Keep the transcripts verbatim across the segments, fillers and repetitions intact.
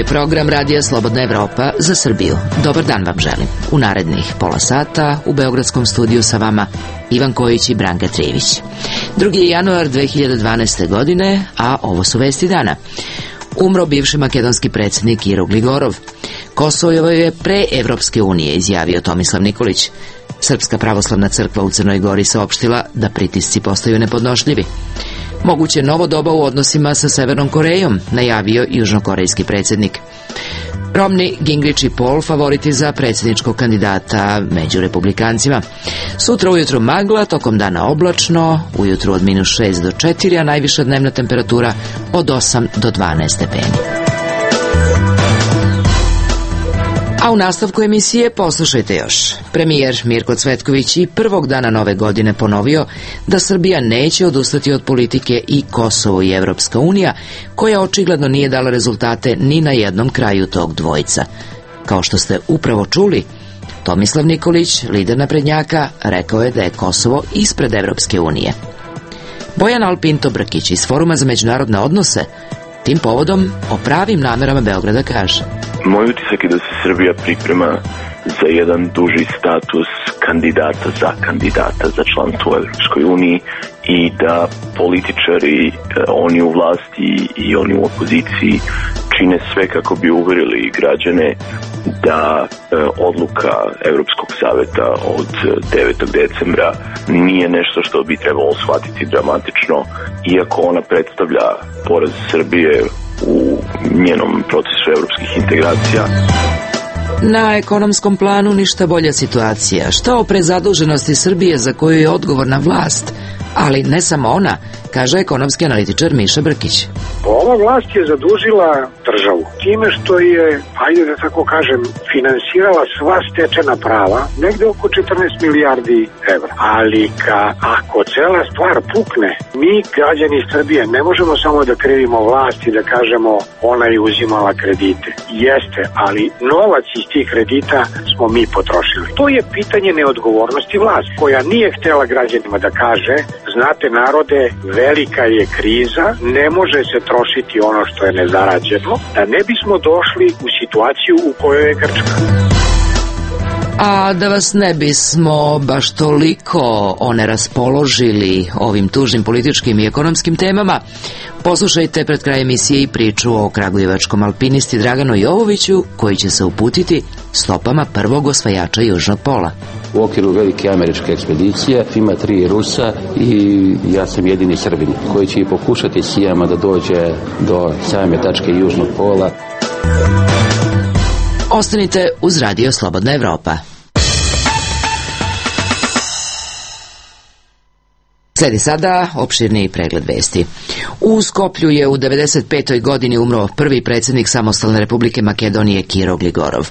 je program Radija Slobodna Evropa za Srbiju. Dobar dan vam želim. U narednih pola sata u beogradskom studiju sa vama Ivan Kojić i Branka Trijević. drugi januar dve hiljade dvanaeste. godine, a ovo su vesti dana. Umro bivši makedonski predsjednik Kiro Gligorov. Kosovo je pre Evropske unije, izjavio Tomislav Nikolić. Srpska pravoslavna crkva u Crnoj Gori saopštila da pritisci postaju nepodnošljivi. Moguće novo doba u odnosima sa Severnom Korejom, najavio južnokorejski predsjednik. Romney, Gingrich i Paul favoriti za predsjedničkog kandidata među republikancima. Sutra ujutro magla, tokom dana oblačno, ujutro od minus šest do četiri, a najviša dnevna temperatura od osam do dvanaest stepeni. A u nastavku emisije poslušajte još. Premijer Mirko Cvetković i prvog dana nove godine ponovio da Srbija neće odustati od politike i Kosovo i Evropska unija, koja očigledno nije dala rezultate ni na jednom kraju tog dvojca. Kao što ste upravo čuli, Tomislav Nikolić, lider naprednjaka, rekao je da je Kosovo ispred Evropske unije. Bojan Alpinto Brkić iz Foruma za međunarodne odnose tim povodom o pravim namerama Beograda kaže: Moj utisak je da se Srbija priprema za jedan duži status kandidata za kandidata za članstvo u Evropskoj uniji i da političari, oni u vlasti i oni u opoziciji, čine sve kako bi uverili građane da e, odluka Evropskog saveta od devetog decembra nije nešto što bi trebalo shvatiti dramatično, iako ona predstavlja poraz Srbije u njenom procesu evropskih integracija. Na ekonomskom planu ništa bolja situacija. Šta o prezaduženosti Srbije za koju je odgovorna vlast, ali ne samo ona, kaže ekonomski analitičar Miša Brkić. Ova vlast je zadužila državu time što je, ajde da tako kažem, finansirala sva stečena prava, negde oko četrnaest milijardi evra. Ali ka, ako cela stvar pukne, mi, građani Srbije, ne možemo samo da krivimo vlast i da kažemo ona je uzimala kredite. Jeste, ali novac iz tih kredita smo mi potrošili. To je pitanje neodgovornosti vlasti, koja nije htela građanima da kaže: znate narode, velika je kriza, ne može se trošiti ono što je nezarađeno, da ne bismo došli u situaciju u kojoj je Grčka. A da vas ne bismo baš toliko oneraspoložili ovim tužnim političkim i ekonomskim temama, poslušajte pred kraj emisije i priču o kragujevačkom alpinisti Draganu Jovoviću, koji će se uputiti stopama prvog osvajača južnog pola. U okviru velike američke ekspedicije ima tri Rusa i ja sam jedini Srbin koji će i pokušati sijama da dođe do same tačke južnog pola. Ostanite uz Radio Slobodna Evropa. Sledi sada opširniji pregled vesti. U Skoplju je u devedeset petoj godini umro prvi predsjednik Samostalne Republike Makedonije Kiro Gligorov.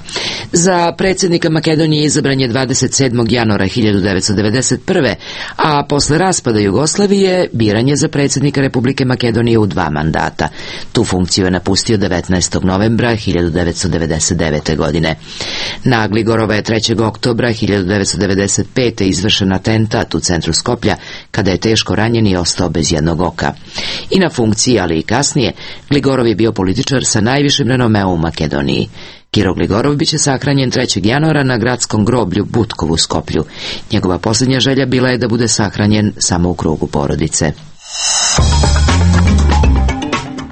Za predsjednika Makedonije izabran je dvadeset sedmog januara hiljadu devetsto devedeset prve. a posle raspada Jugoslavije biran je za predsjednika Republike Makedonije u dva mandata. Tu funkciju je napustio devetnaestog novembra hiljadu devetsto devedeset devete. godine. Na Gligorova je trećeg oktobra hiljadu devetsto devedeset pete. izvršen atentat u centru Skoplja, kada je teško ranjen i ostao bez jednog oka. I na funkciji, ali i kasnije, Gligorov je bio političar sa najvišim renomeom u Makedoniji. Kiro Gligorov biće sahranjen trećeg januara na gradskom groblju Butkovu u Skoplju. Njegova posljednja želja bila je da bude sahranjen samo u krugu porodice.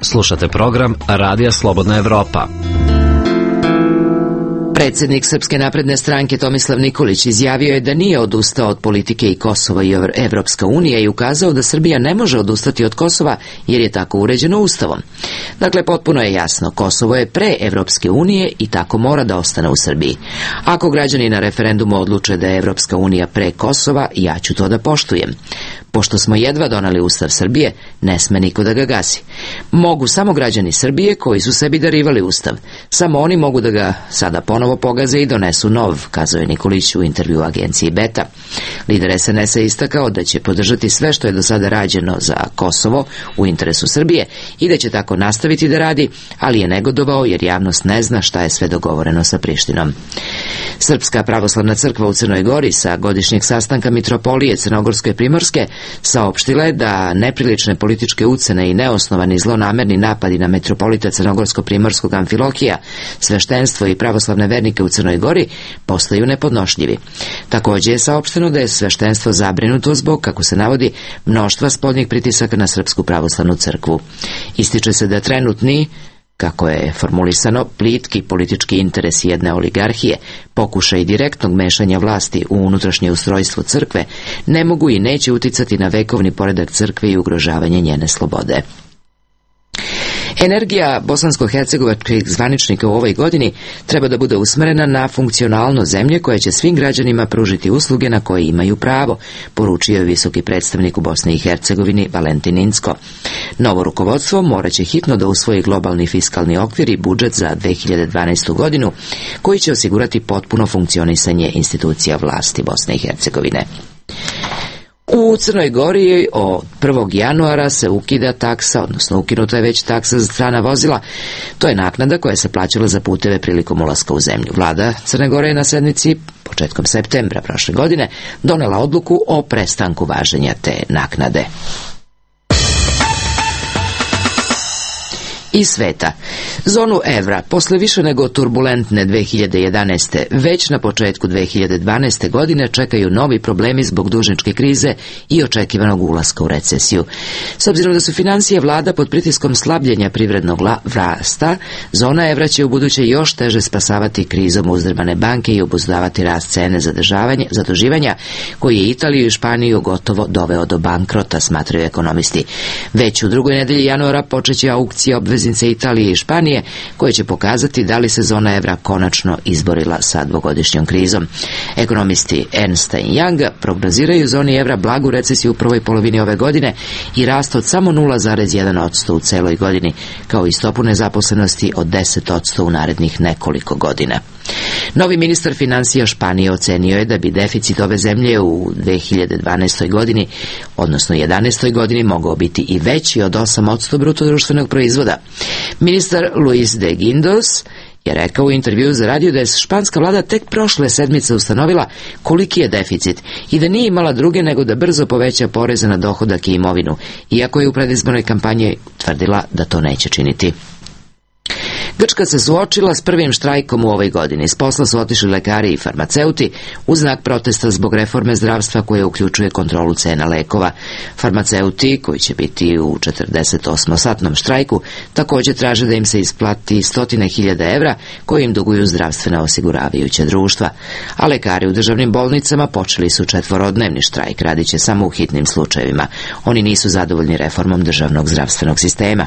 Slušate program Radija Slobodna Evropa. Predsjednik Srpske napredne stranke Tomislav Nikolić izjavio je da nije odustao od politike i Kosova i Evropska unija i ukazao da Srbija ne može odustati od Kosova jer je tako uređeno Ustavom. Dakle, potpuno je jasno, Kosovo je pre Evropske unije i tako mora da ostane u Srbiji. Ako građani na referendumu odluče da je Evropska unija pre Kosova, ja ću to da poštujem. Pošto smo jedva donali Ustav Srbije, ne sme niko da ga gasi. Mogu samo građani Srbije koji su sebi darivali Ustav. Samo oni mogu da ga sada ponovo pogaze i donesu nov, kazao je Nikolić u intervju agenciji Beta. Lider es en es a istakao da će podržati sve što je do sada rađeno za Kosovo u interesu Srbije i da će tako nastaviti da radi, ali je negodovao jer javnost ne zna šta je sve dogovoreno sa Prištinom. Srpska pravoslavna crkva u Crnoj Gori sa godišnjeg sastanka Mitropolije Crnogorske i Primorske saopštila je da neprilične političke ucene i neosnovani zlonamerni napadi na metropolita Crnogorsko-primorskog Amfilohija, sveštenstvo i pravoslavne vernike u Crnoj Gori postaju nepodnošljivi. Također je saopšteno da je sveštenstvo zabrinuto zbog, kako se navodi, mnoštva spoljnih pritisaka na Srpsku pravoslavnu crkvu. Ističe se da trenutni, kako je formulisano, plitki politički interes jedne oligarhije, pokušaj direktnog mešanja vlasti u unutrašnje ustrojstvo crkve, ne mogu i neće uticati na vekovni poredak crkve i ugrožavanje njene slobode. Energija bosansko-hercegovačkih zvaničnika u ovoj godini treba da bude usmerena na funkcionalnost zemlje koja će svim građanima pružiti usluge na koje imaju pravo, poručio je visoki predstavnik u Bosni i Hercegovini Valentin Incko. Novo rukovodstvo morat će hitno da usvoji globalni fiskalni okvir i budžet za dve hiljade dvanaestu godinu, koji će osigurati potpuno funkcionisanje institucija vlasti Bosne i Hercegovine. U Crnoj Gori od prvog januara se ukida taksa, odnosno ukinuta je već taksa za strana vozila. To je naknada koja se plaćala za puteve prilikom ulaska u zemlju. Vlada Crne Gore je na sednici početkom septembra prošle godine donela odluku o prestanku važenja te naknade. Iz sveta. Zonu evra posle više nego turbulentne dve hiljade jedanaeste već na početku dve hiljade dvanaeste godine čekaju novi problemi zbog dužničke krize i očekivanog ulaska u recesiju. S obzirom da su financije vlada pod pritiskom slabljenja privrednog rasta, zona evra će u buduće još teže spasavati krizom uzdrmane banke i obuzdavati rast cene zaduživanja koji je Italiju i Španiju gotovo doveo do bankrota, smatraju ekonomisti. Već u drugoj nedelji januara počeće aukcija obveznice Italije i Španije, koje će pokazati da li se zona evra konačno izborila sa dvogodišnjom krizom. Ekonomisti Ernst and Young prognoziraju zoni evra blagu recesiju u prvoj polovini ove godine i rast od samo nula zarez jedan posto u celoj godini, kao i stopu nezaposlenosti od deset posto u narednih nekoliko godina. Novi ministar financija Španije ocenio je da bi deficit ove zemlje u dve hiljade dvanaestoj godini, odnosno jedanaestoj godini, mogao biti i veći od osam posto bruto društvenog proizvoda. Ministar Luis de Guindos je rekao u intervjuu za radio da je španska vlada tek prošle sedmice ustanovila koliki je deficit i da nije imala druge nego da brzo poveća poreze na dohodak i imovinu, iako je u predizbornoj kampanji tvrdila da to neće činiti. Grčka se suočila s prvim štrajkom u ovoj godini. S posla su otišli lekari i farmaceuti u znak protesta zbog reforme zdravstva koja uključuje kontrolu cena lekova. Farmaceuti, koji će biti u četrdeset osmosatnom štrajku, također traže da im se isplati stotine hiljada evra koje im duguju zdravstvena osiguravajuća društva. A lekari u državnim bolnicama počeli su četvorodnevni štrajk, radit će samo u hitnim slučajevima. Oni nisu zadovoljni reformom državnog zdravstvenog sistema.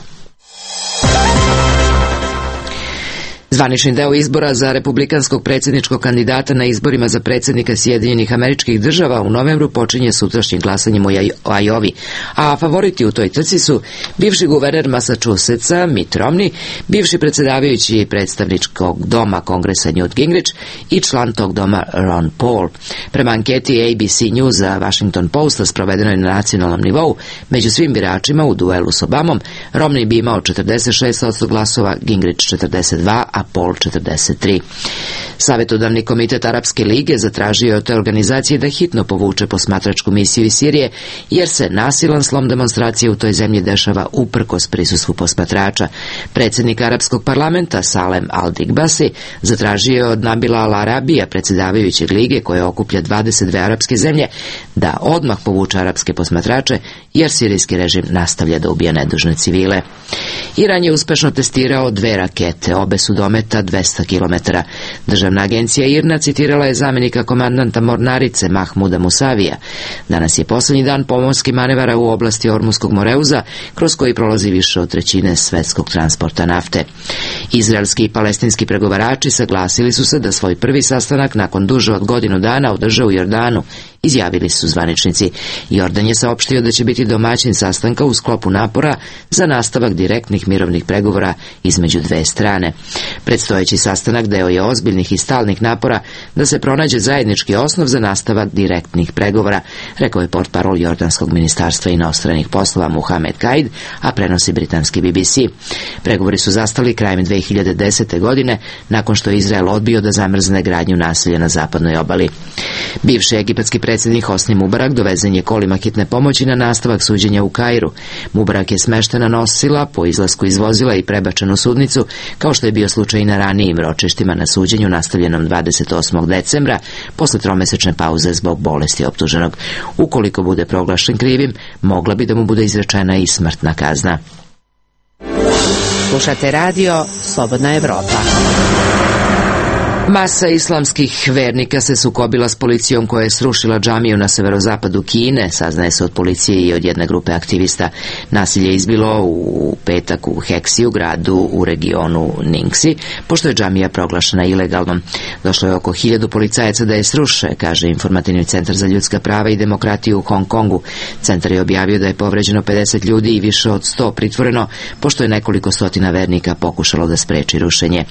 Zvanični deo izbora za republikanskog predsjedničkog kandidata na izborima za predsjednika Sjedinjenih Američkih Država u novembru počinje sutrašnjim glasanjem u Ajovi, a favoriti u toj trci su bivši guverner Massachusettsa Mitt Romney, bivši predsjedavajući predstavničkog doma Kongresa Newt Gingrich i član tog doma Ron Paul. Prema anketi A B C Newsa Washington Posta sprovedenoj na nacionalnom nivou, među svim biračima u duelu s Obamom, Romney bi imao četrdeset šest posto glasova, Gingrich četrdeset dva, a Paul četrdeset tri. Savjetodavni komitet Arapske lige zatražio je od te organizacije da hitno povuče posmatračku misiju iz Sirije, jer se nasilan slom demonstracije u toj zemlji dešava uprkos prisustvu posmatrača. Predsjednik Arapskog parlamenta Salem al-Digbasi zatražio je od Nabila al-Arabija, predsjedavajućeg lige koje okuplja dvadeset dve arapske zemlje, da odmah povuče arapske posmatrače, jer sirijski režim nastavlja da ubija nedužne civile. Iran je uspešno testirao dve rakete, obe su dometa dvesta kilometara. Državna agencija I R N A citirala je zamjenika komandanta mornarice Mahmuda Musavija. Danas je posljednji dan pomorskih manevara u oblasti Ormuskog Moreuza, kroz koji prolazi više od trećine svetskog transporta nafte. Izraelski i palestinski pregovarači saglasili su se da svoj prvi sastanak nakon duže od godinu dana održe u Jordanu, izjavili su zvaničnici. Jordan je saopštio da će biti domaćin sastanka u sklopu napora za nastavak direktnih mirovnih pregovora između dve strane. Predstojeći sastanak deo je ozbiljnih i stalnih napora da se pronađe zajednički osnov za nastavak direktnih pregovora, rekao je portparol Jordanskog ministarstva inostranih poslova Muhamed Kaid, a prenosi britanski B B C. Pregovori su zastali krajem dve hiljade desete. godine, nakon što je Izrael odbio da zamrzne gradnju naselja na zapadnoj obali. Bivši egipatski predsjednik Hosni Mubarak dovezen je kolima hitne pomoći na nastavak suđenja u Kairu. Mubarak je smeštena nosila po izlasku iz vozila i prebačen u sudnicu, kao što je bio slučaj i na ranijim ročištima na suđenju nastavljenom dvadeset osmog decembra, posle tromesečne pauze zbog bolesti optuženog. Ukoliko bude proglašen krivim, mogla bi da mu bude izrečena i smrtna kazna. Slušate radio Slobodna Evropa. Masa islamskih vernika se sukobila s policijom koja je srušila džamiju na severozapadu Kine, saznaje se od policije i od jedne grupe aktivista. Nasilje je izbilo u petak u Heksiju, gradu u regionu Ningxi, pošto je džamija proglašena ilegalnom. Došlo je oko hiljadu policajaca da je sruše, kaže Informativni centar za ljudska prava i demokratiju u Hong Kongu. Centar je objavio da je povređeno pedeset ljudi i više od sto pritvoreno, pošto je nekoliko stotina vernika pokušalo da spreči rušenje.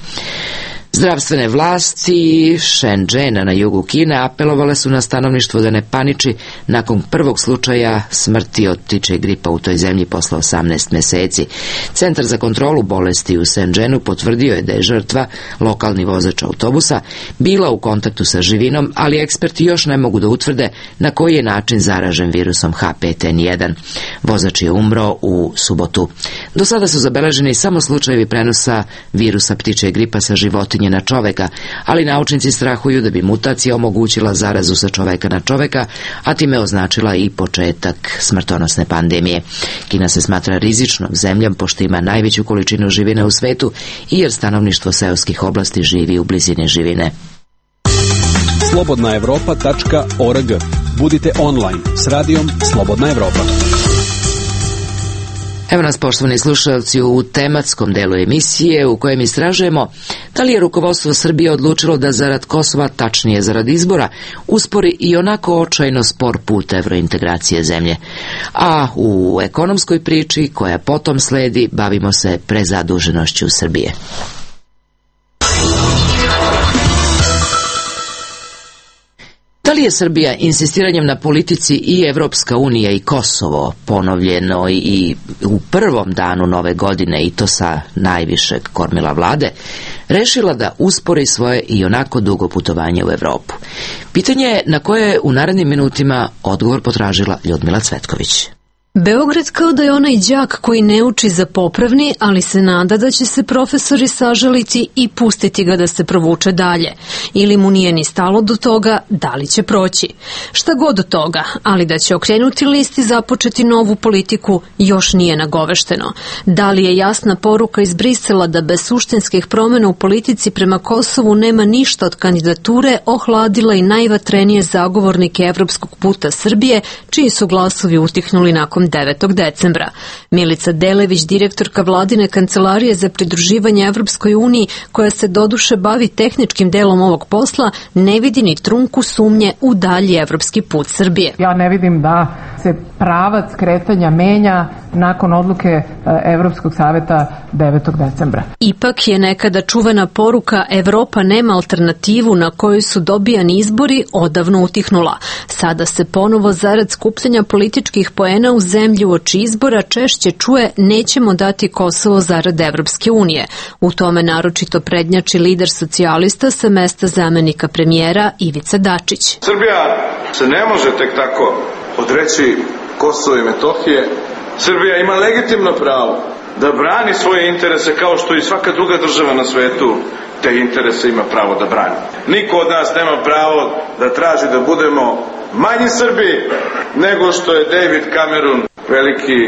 Zdravstvene vlasti Shenzhena na jugu Kine apelovale su na stanovništvo da ne paniči nakon prvog slučaja smrti od ptičjeg gripa u toj zemlji posle osamnaest meseci. Centar za kontrolu bolesti u Shenzhenu potvrdio je da je žrtva, lokalni vozač autobusa, bila u kontaktu sa živinom, ali eksperti još ne mogu da utvrde na koji je način zaražen virusom H pet N jedan. Vozač je umro u subotu. Do sada su zabeleženi samo slučajevi prenosa virusa ptičjeg gripa sa životinje na čoveka, ali naučnici strahuju da bi mutacija omogućila zarazu sa čoveka na čoveka, a time označila i početak smrtonosne pandemije. Kina se smatra rizičnom zemljom pošto ima najveću količinu živine u svetu i jer stanovništvo seoskih oblasti živi u blizini živine. slobodna evropa tačka org. Budite online s radijom Slobodna Evropa. Evo nas, poštovani slušalci, u tematskom delu emisije u kojem istražujemo da li je rukovodstvo Srbije odlučilo da zarad Kosova, tačnije zarad izbora, uspori i onako očajno spor put evrointegracije zemlje. A u ekonomskoj priči koja potom sledi bavimo se prezaduženošću Srbije. Da li je Srbija insistiranjem na politici i Evropska unija i Kosovo, ponovljeno i u prvom danu nove godine, i to sa najvišeg kormila vlade, rešila da uspori svoje i onako dugo putovanje u Evropu? Pitanje je na koje je u narednim minutima odgovor potražila Ljudmila Cvetković. Beograd kao da je onaj đak koji ne uči za popravni, ali se nada da će se profesori sažaliti i pustiti ga da se provuče dalje. Ili mu nije ni stalo do toga da li će proći. Šta god od toga, ali da će okrenuti list i započeti novu politiku još nije nagovešteno. Da li je jasna poruka iz Brisela da bez suštinskih promjena u politici prema Kosovu nema ništa od kandidature, ohladila i najvatrenije zagovornike evropskog puta Srbije, čiji su glasovi utihnuli nakon devetog decembra. Milica Delević, direktorka vladine kancelarije za pridruživanje Evropskoj uniji, koja se doduše bavi tehničkim delom ovog posla, ne vidi ni trunku sumnje u dalji evropski put Srbije. Ja ne vidim da se pravac kretanja menja nakon odluke Evropskog saveta devetog decembra. Ipak je nekada čuvena poruka Evropa nema alternativu na kojoj su dobijani izbori odavno utihnula. Sada se ponovo zarad skupljanja političkih poena u zemlji uoči izbora češće čuje nećemo dati Kosovo zarad Evropske unije. U tome naročito prednjači lider socijalista sa mesta zamenika premijera Ivica Dačić. Srbija se ne može tek tako odreći Kosovo i Metohije. Srbija ima legitimno pravo da brani svoje interese kao što i svaka druga država na svetu te interese ima pravo da brani. Niko od nas nema pravo da traži da budemo manji Srbi nego što je David Cameron, veliki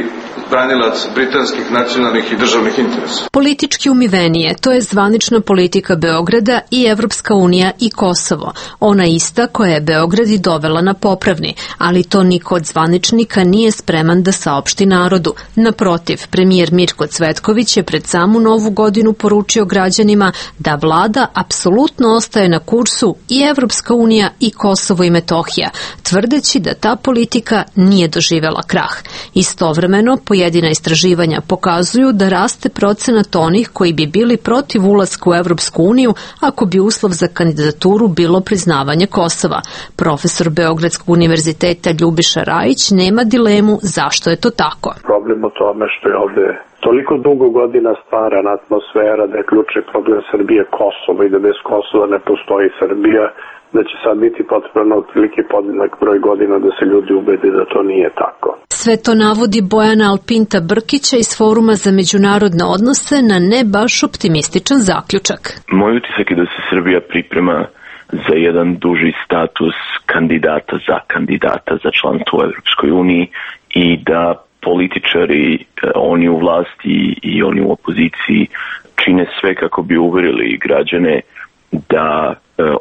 branilac britanskih nacionalnih i državnih interesa. Politički umivenije, to je zvanična politika Beograda i Evropska unija i Kosovo. Ona ista koja je Beograd i dovela na popravni, ali to niko od zvaničnika nije spreman da saopšti narodu. Naprotiv, premijer Mirko Cvetković je pred samu novu godinu poručio građanima da vlada apsolutno ostaje na kursu i Evropska unija i Kosovo i Metohija, tvrdeći da ta politika nije doživela krah. Istovremeno, po Pojedina istraživanja pokazuju da raste procenat onih koji bi bili protiv ulaska u Evropsku uniju ako bi uslov za kandidaturu bilo priznavanje Kosova. Profesor Beogradskog univerziteta Ljubiša Rajić nema dilemu zašto je to tako. Problem u tome što je ovde toliko dugo godina stvarana atmosfera da je ključni problem Srbije Kosovo i da bez Kosova ne postoji Srbija, da će sad biti potrebno otprilike podjednak broj godina da se ljudi ubede da to nije tako. Sve to navodi Bojana Alpinta Brkića iz Foruma za međunarodne odnose na ne baš optimističan zaključak. Moj utisak je da se Srbija priprema za jedan duži status kandidata za kandidata za članstvo u Evropskoj uniji i da političari, oni u vlasti i oni u opoziciji čine sve kako bi uverili građane da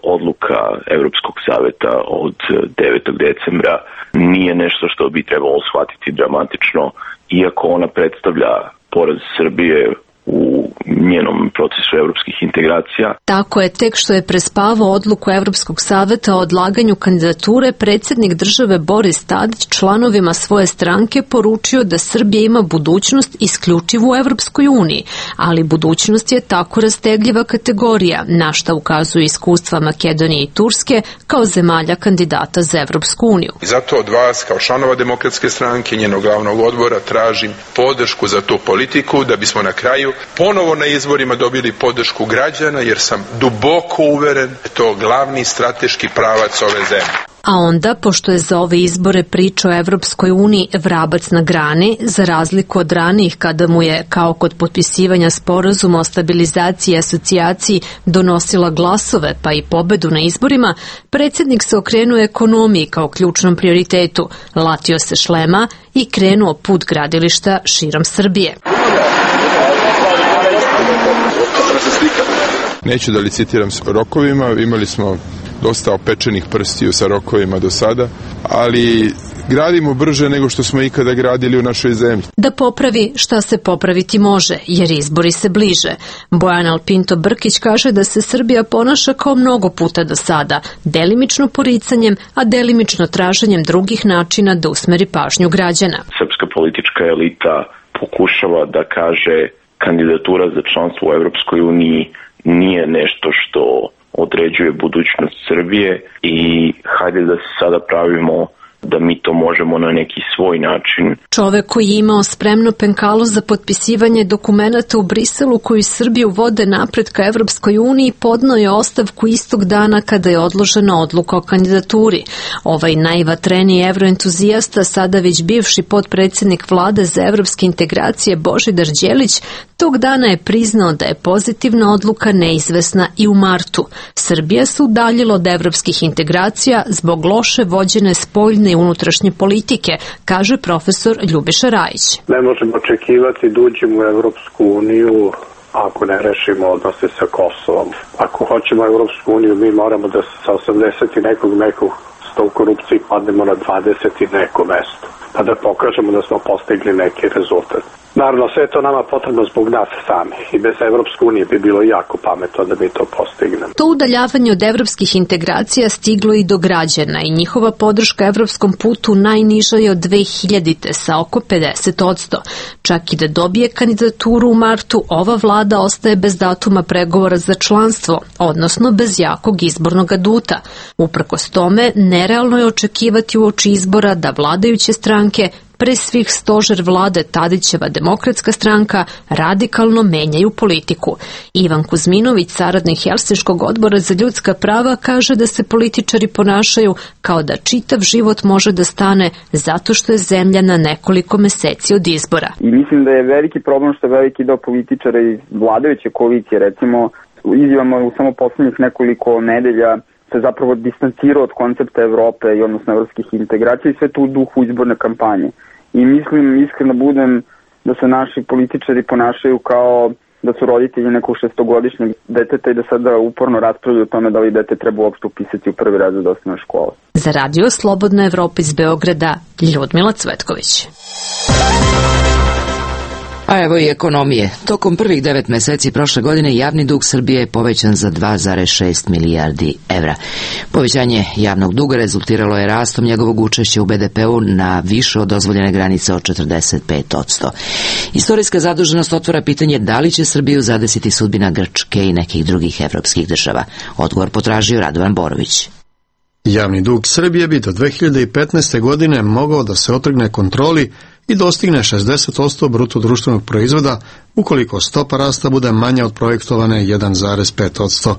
odluka Evropskog saveta od devetog decembra nije nešto što bi trebalo shvatiti dramatično, iako ona predstavlja poraz Srbije u njenom procesu evropskih integracija. Tako je, tek što je prespavao odluku Evropskog saveta o odlaganju kandidature, predsjednik države Boris Tadić članovima svoje stranke poručio da Srbija ima budućnost isključivo u Evropskoj uniji, ali budućnost je tako rastegljiva kategorija, na šta ukazuju iskustva Makedonije i Turske kao zemalja kandidata za Evropsku uniju. I zato od vas, kao članova Demokratske stranke i njenog glavnog odbora, tražim podršku za tu politiku da bismo na kraju ponovo na izborima dobili podršku građana, jer sam duboko uveren da je to glavni strateški pravac ove zemlje. A onda, pošto je za ove izbore priča o Evropskoj uniji vrabac na grani, za razliku od ranijih kada mu je, kao kod potpisivanja sporazuma o stabilizaciji i asocijaciji, donosila glasove pa i pobedu na izborima, predsjednik se okrenuo ekonomiji kao ključnom prioritetu, latio se šlema i krenuo put gradilišta širom Srbije. Neću da licitiram s rokovima, imali smo dosta opečenih prstiju sa rokovima do sada, ali gradimo brže nego što smo ikada gradili u našoj zemlji. Da popravi šta se popraviti može, jer izbori se bliže. Bojan Alpinto Brkić kaže da se Srbija ponaša kao mnogo puta do sada, delimično poricanjem, a delimično traženjem drugih načina da usmeri pažnju građana. Srpska politička elita pokušava da kaže kandidatura za članstvo u Evropskoj uniji nije nešto što određuje budućnost Srbije i hajde da se sada pravimo da mi to možemo na neki svoj način. Čovek koji je imao spremno penkalo za potpisivanje dokumenata u Briselu koji Srbiju vode napred ka Evropskoj uniji podnao je ostavku istog dana kada je odložena odluka o kandidaturi. Ovaj najvatreniji evroentuzijasta, sada već bivši potpredsjednik vlade za evropske integracije Božidar Đelić, tog dana je priznao da je pozitivna odluka neizvesna i u martu. Srbija se udaljila od evropskih integracija zbog loše vođene spoljne i unutrašnje politike, kaže profesor Ljubiša Rajić. Ne možemo očekivati da uđemo u Evropsku uniju ako ne rešimo odnose sa Kosovom. Ako hoćemo Evropsku uniju, mi moramo da sa osamdeset i nekog nekog sto u korupciji padnemo na dvadeset i neko mesto, pa da pokažemo da smo postigli neki rezultat. Naravno, sve je to nama potrebno zbog nas sami i bez Evropske unije bi bilo jako pametno da mi to postignemo. To udaljavanje od evropskih integracija stiglo i do građana i njihova podrška evropskom putu najniža je od dve hiljadite sa oko pedeset odsto. Čak i da dobije kandidaturu u martu, ova vlada ostaje bez datuma pregovora za članstvo, odnosno bez jakog izbornog aduta. Uprkos tome, nerealno je očekivati uoči izbora da vladajuće stranke, pre svih stožer vlade Tadićeva Demokratska stranka, radikalno menjaju politiku. Ivan Kuzminović, saradnik Helsinškog odbora za ljudska prava, kaže da se političari ponašaju kao da čitav život može da stane zato što je zemlja na nekoliko meseci od izbora. I mislim da je veliki problem što je veliki deo političara iz vladajuće koalicije, recimo, izjavama u samo poslednjih nekoliko nedelja se zapravo distancirao od koncepta Evrope i odnosno evropskih integracija i sve to u duhu izborne kampanje. I mislim, iskreno budem, da se naši političari ponašaju kao da su roditelji nekog šestogodišnjeg deteta i da sada uporno raspravljaju o tome da li dete treba uopšte upisati u prvi razred osnovne škole. Za radio Slobodna Evropa iz Beograda, Ljudmila Cvetković. A evo i ekonomije. Tokom prvih devet meseci prošle godine javni dug Srbije je povećan za dva zarez šest milijardi evra. Povećanje javnog duga rezultiralo je rastom njegovog učešća u be de pe u na više od dozvoljene granice od četrdeset pet posto. Istorijska zaduženost otvara pitanje da li će Srbiju zadesiti sudbina Grčke i nekih drugih evropskih država. Odgovor potražio Radovan Borović. Javni dug Srbije bi do dve hiljade petnaeste. godine mogao da se otrgne kontroli i dostigne šezdeset posto bruto društvenog proizvoda ukoliko stopa rasta bude manja od projektovane jedan zarez pet posto.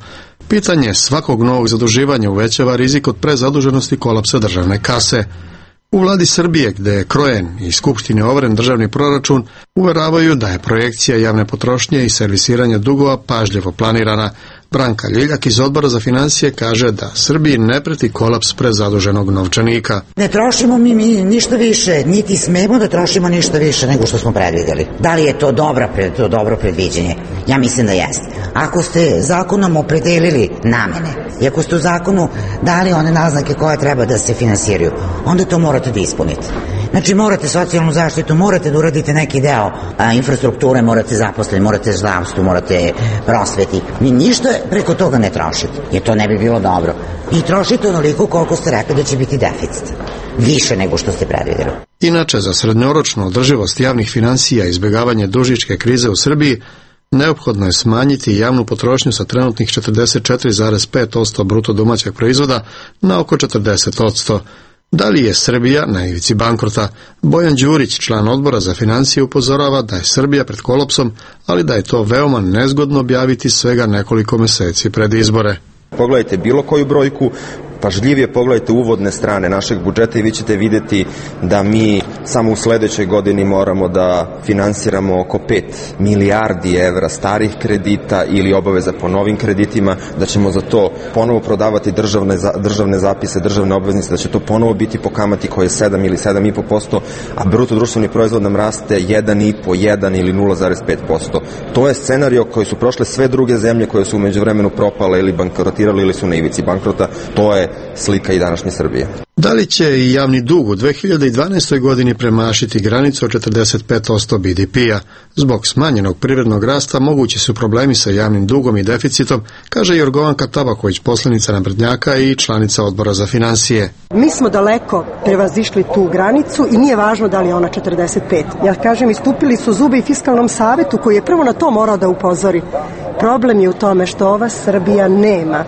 Pitanje svakog novog zaduživanja uvećava rizik od prezaduženosti kolapsa državne kase. U vladi Srbije, gde je krojen i Skupštini overen državni proračun, uveravaju da je projekcija javne potrošnje i servisiranja dugova pažljivo planirana. Branka Ljiljak iz Odbora za financije kaže da Srbiji ne preti kolaps prezaduženog novčanika. Ne trošimo mi, mi ništa više, niti smemo da trošimo ništa više nego što smo predvideli. Da li je to dobro, to dobro predviđenje? Ja mislim da jeste. Ako ste zakonom opredelili namene i ako ste u zakonu dali one naznake koje treba da se finansiraju, onda to morate da ispunite. Znači morate socijalnu zaštitu, morate da uradite neki deo a, infrastrukture, morate zaposliti, morate zdravstvo, morate prosveti. Ni ništa preko toga ne trošite, jer to ne bi bilo dobro. I trošite onoliko koliko ste rekli da će biti deficit. Više nego što ste predvideli. Inače, za srednjoročnu održivost javnih finansija i izbjegavanje dužničke krize u Srbiji, neophodno je smanjiti javnu potrošnju sa trenutnih četrdeset četiri zarez pet posto bruto domaćeg proizvoda na oko četrdeset posto. Da li je Srbija na ivici bankrota? Bojan Đurić, član Odbora za financije, upozorava da je Srbija pred kolapsom, ali da je to veoma nezgodno objaviti svega nekoliko meseci pred izbore. Pogledajte bilo koju brojku, pažljivije pogledajte uvodne strane našeg budžeta i vi ćete vidjeti da mi samo u sledećoj godini moramo da finansiramo oko pet milijardi evra starih kredita ili obaveza po novim kreditima, da ćemo za to ponovo prodavati državne, državne zapise, državne obveznice, da će to ponovo biti po kamati koje je sedam ili sedam i po posto, a bruto društveni proizvod nam raste jedan i po, jedan ili nula zarez pet posto. To je scenario koji su prošle sve druge zemlje koje su u međuvremenu propale ili bankrotirale ili su na ivici bankrota. To je slika i današnje Srbije. Da li će i javni dug u dve hiljade dvanaestoj. godini premašiti granicu od četrdeset pet posto be de pe-a? Zbog smanjenog privrednog rasta mogući su problemi sa javnim dugom i deficitom, kaže Jorgovanka Tabaković, poslanica naprednjaka i članica Odbora za financije. Mi smo daleko prevazišli tu granicu i nije važno da li je ona četrdeset pet. Ja kažem, istupili su zube i Fiskalnom savetu koji je prvo na to morao da upozori. Problem je u tome što ova Srbija nema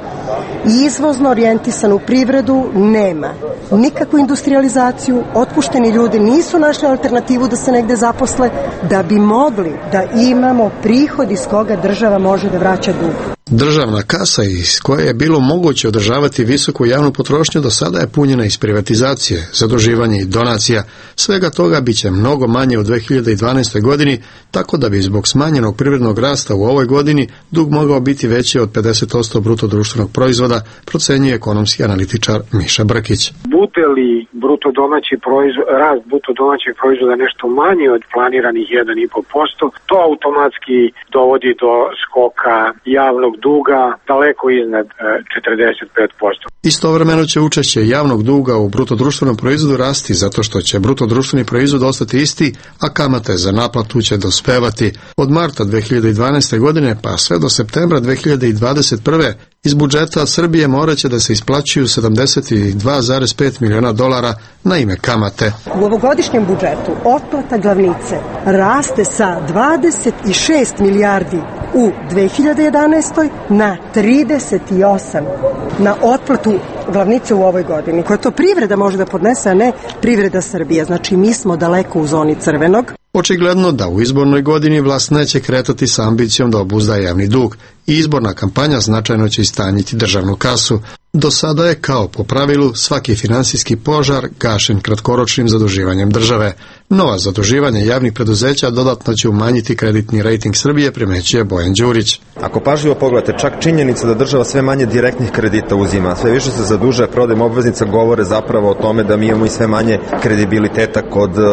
izvozno orijentisanu privredu, nema nikakvu industrializaciju, otpušteni ljudi nisu našli alternativu da se negde zaposle, da bi mogli da imamo prihod iz koga država može da vraća dug. Državna kasa iz koje je bilo moguće održavati visoku javnu potrošnju do sada je punjena iz privatizacije, zaduživanja i donacija. Svega toga bit će mnogo manje u dve hiljade dvanaestoj. godini, tako da bi zbog smanjenog privrednog rasta u ovoj godini dug mogao biti veći od pedeset posto bruto društvenog proizvoda, procenjuje ekonomski analitičar Miša Brkić. Bude li bruto domaći proizvod, rast bruto domaćeg proizvoda nešto manji od planiranih jedan i po posto, to automatski dovodi do skoka javnog duga daleko iznad četrdeset pet posto. Istovremeno će učešće javnog duga u bruto društvenom proizvodu rasti zato što će bruto društveni proizvod ostati isti, a kamate za naplatu će dospevati. Od marta dve hiljade dvanaeste. godine pa sve do septembra dve hiljade dvadeset prve. iz budžeta Srbije moraće da se isplaćuju sedamdeset dva zarez pet miliona dolara na ime kamate. U ovogodišnjem budžetu otplata glavnice raste sa dvadeset šest milijardi u dve hiljade jedanaestoj. na trideset osam na otplatu glavnice u ovoj godini, koja to privreda može da podnese, a ne privreda Srbije. Znači mi smo daleko u zoni crvenog. Očigledno da u izbornoj godini vlast neće kretati sa ambicijom da obuzda javni dug i izborna kampanja značajno će istanjiti državnu kasu. Do sada je, kao po pravilu, svaki finansijski požar gašen kratkoročnim zaduživanjem države. Nova zaduživanja javnih preduzeća dodatno će umanjiti kreditni rejting Srbije, primećuje Bojan Đurić. Ako pažljivo pogledate, čak činjenica da država sve manje direktnih kredita uzima, sve više se zaduže, prodajem obveznica, govore zapravo o tome da mi imamo i sve manje kredibiliteta kod uh,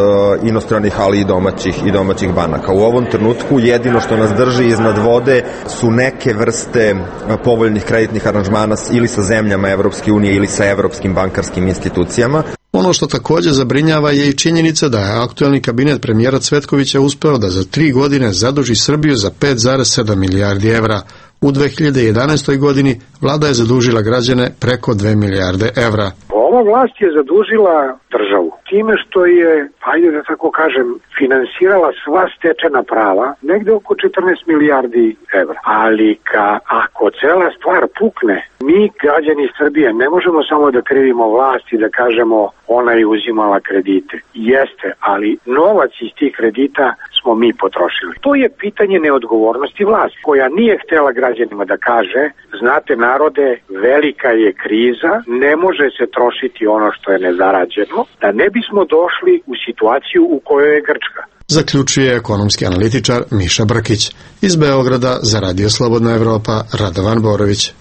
inostranih, ali i domaćih i domaćih banaka. U ovom trenutku jedino što nas drži iznad vode su neke vrste povoljnih kreditnih aranžmana ili sa zemljama Evropske unije ili sa evropskim bankarskim institucijama. Ono što također zabrinjava je i činjenica da je aktuelni kabinet premijera Cvetkovića uspeo da za tri godine zaduži Srbiju za pet zarez sedam milijardi evra. U dve hiljade jedanaestoj godini vlada je zadužila građane preko dve milijarde evra. Ova vlast je zadužila državu time što je, ajde da tako kažem, finansirala sva stečena prava, negde oko četrnaest milijardi evra. Ali ka, ako cela stvar pukne, mi, građani Srbije, ne možemo samo da krivimo vlast i da kažemo ona je uzimala kredite. Jeste, ali novac iz tih kredita smo mi potrošili. To je pitanje neodgovornosti vlasti, koja nije htela građanima da kaže, znate narode, velika je kriza, ne može se trošiti ono što je nezarađeno, da ne bismo došli u situaciju u kojoj je Grčka. Zaključuje ekonomski analitičar Miša Brkić. Iz Beograda za Radio Slobodna Evropa, Radovan Borović.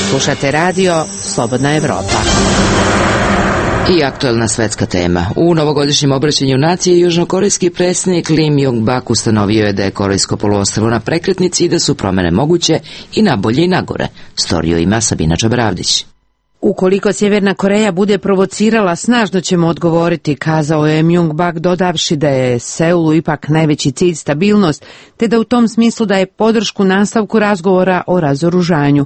Slušate radio Slobodna Evropa. I aktuelna svetska tema. U novogodišnjem obraćanju nacije južnokorejski predsjednik Lim Jong-bak ustanovio je da je Korejsko poluostrvo na prekretnici i da su promene moguće i na bolje i na gore. Storiju ima Sabina Čabravdić. Ukoliko Sjeverna Koreja bude provocirala, snažno ćemo odgovoriti, kazao je Jong-bak, dodavši da je Seulu ipak najveći cilj stabilnost, te da u tom smislu daje podršku nastavku razgovora o razoružanju.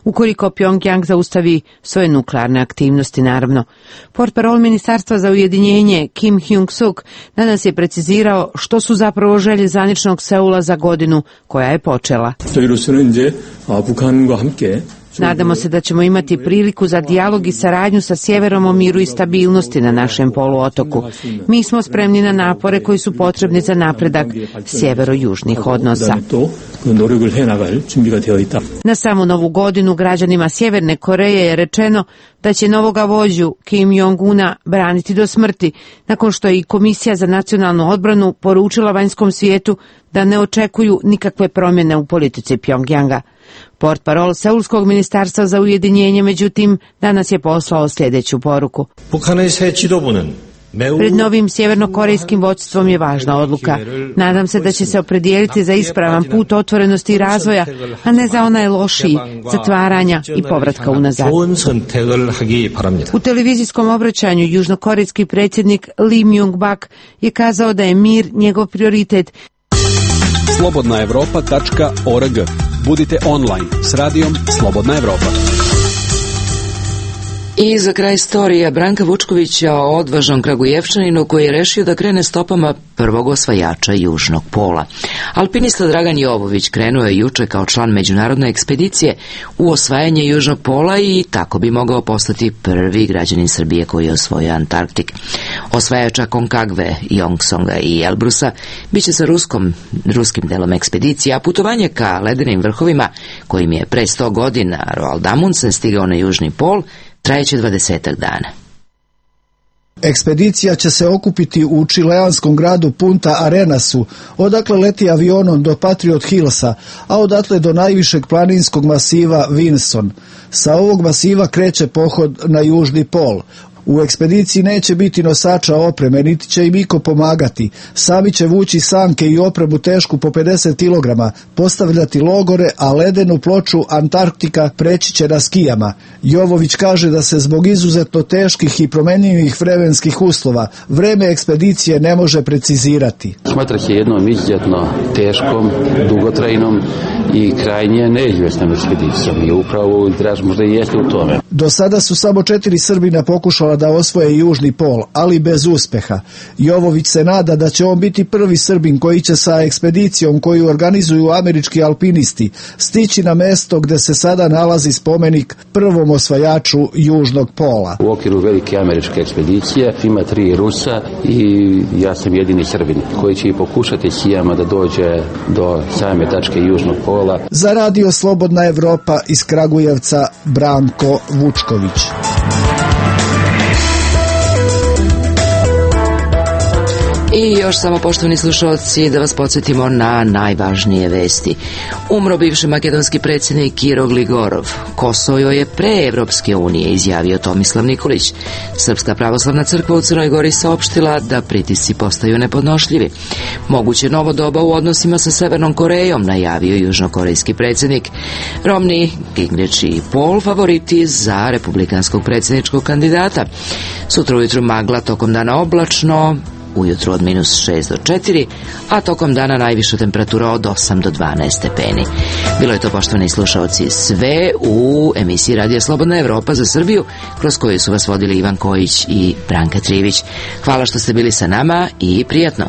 Ukoliko Pjongjang zaustavi svoje nuklearne aktivnosti, naravno. Portparol Ministarstva za ujedinjenje Kim Hyung-suk danas je precizirao što su zapravo želje zvaničnog Seula za godinu koja je počela. Nadamo se da ćemo imati priliku za dijalog i saradnju sa sjeverom o miru i stabilnosti na našem poluotoku. Mi smo spremni na napore koji su potrebni za napredak sjevero-južnih odnosa. Na samu novu godinu građanima Sjeverne Koreje je rečeno da će novoga vođu Kim Jong-una braniti do smrti, nakon što je i Komisija za nacionalnu odbranu poručila vanjskom svijetu da ne očekuju nikakve promjene u politici Pjongjanga. Portparol Seulskog ministarstva za ujedinjenje, međutim, danas je poslao sljedeću poruku. Pred novim sjevernokorejskim vodstvom je važna odluka. Nadam se da će se opredijeliti za ispravan put otvorenosti i razvoja, a ne za onaj lošiji, zatvaranja i povratka unazad. U televizijskom obraćanju južnokorejski predsjednik Lim Jong-bak je kazao da je mir njegov prioritet. slobodna evropa tačka org. Budite online s radijom Slobodna Evropa. I za kraj storija Branka Vučkovića o odvažnom Kragujevčaninu koji je rešio da krene stopama prvog osvajača južnog pola. Alpinista Dragan Jovović krenuo je juče kao član međunarodne ekspedicije u osvajanje južnog pola i tako bi mogao postati prvi građanin Srbije koji je osvojio Antarktik. Osvajača Konkagve, Jongsonga i Elbrusa biće sa ruskom, ruskim delom ekspedicije, a putovanje ka ledenim vrhovima, kojim je pre sto godina Roald Amundsen stigao na južni pol, trajeće dvadesetak dana. Ekspedicija će se okupiti u čileanskom gradu Punta Arenasu, odakle leti avionom do Patriot Hillsa, a odatle do najvišeg planinskog masiva Vinson. Sa ovog masiva kreće pohod na južni pol. U ekspediciji neće biti nosača opreme, niti će im iko pomagati. Sami će vući sanke i opremu tešku po pedeset kilograma, postavljati logore, a ledenu ploču Antarktika preći će na skijama. Jovović kaže da se zbog izuzetno teških i promenljivih vremenskih uslova vreme ekspedicije ne može precizirati. Smatra se jednom izuzetno teškom, dugotrajnom i krajnje neizvjesnom ekspedicijom i upravo draž možda i jeste u tome. Do sada su samo četiri Srbina pokušala da osvoje južni pol, ali bez uspeha. Jovović se nada da će on biti prvi Srbin koji će sa ekspedicijom koju organizuju američki alpinisti stići na mesto gde se sada nalazi spomenik prvom osvajaču južnog pola. U okviru velike američke ekspedicije ima tri Rusa i ja sam jedini Srbin koji će i pokušati sijama da dođe do same tačke južnog pola. Za Radio Slobodna Evropa iz Kragujevca, Branko Vučković. I još samo, poštovani slušalci, da vas podsjetimo na najvažnije vesti. Umro bivši makedonski predsjednik Kiro Gligorov. Kosovo je pre Evropske unije, izjavio Tomislav Nikolić. Srpska pravoslavna crkva u Crnoj Gori saopštila da pritisci postaju nepodnošljivi. Moguće novo doba u odnosima sa Severnom Korejom, najavio južnokorejski predsjednik. Romney, Gingrich i Paul favoriti za republikanskog predsjedničkog kandidata. Sutra ujutru magla, tokom dana oblačno, ujutru od minus šest do četiri, a tokom dana najviša temperatura od osam do dvanaest stepeni. Bilo je to, poštovani slušaoci, sve u emisiji Radija Slobodna Evropa za Srbiju, kroz koju su vas vodili Ivan Kojić i Branka Trivić. Hvala što ste bili sa nama i prijatno.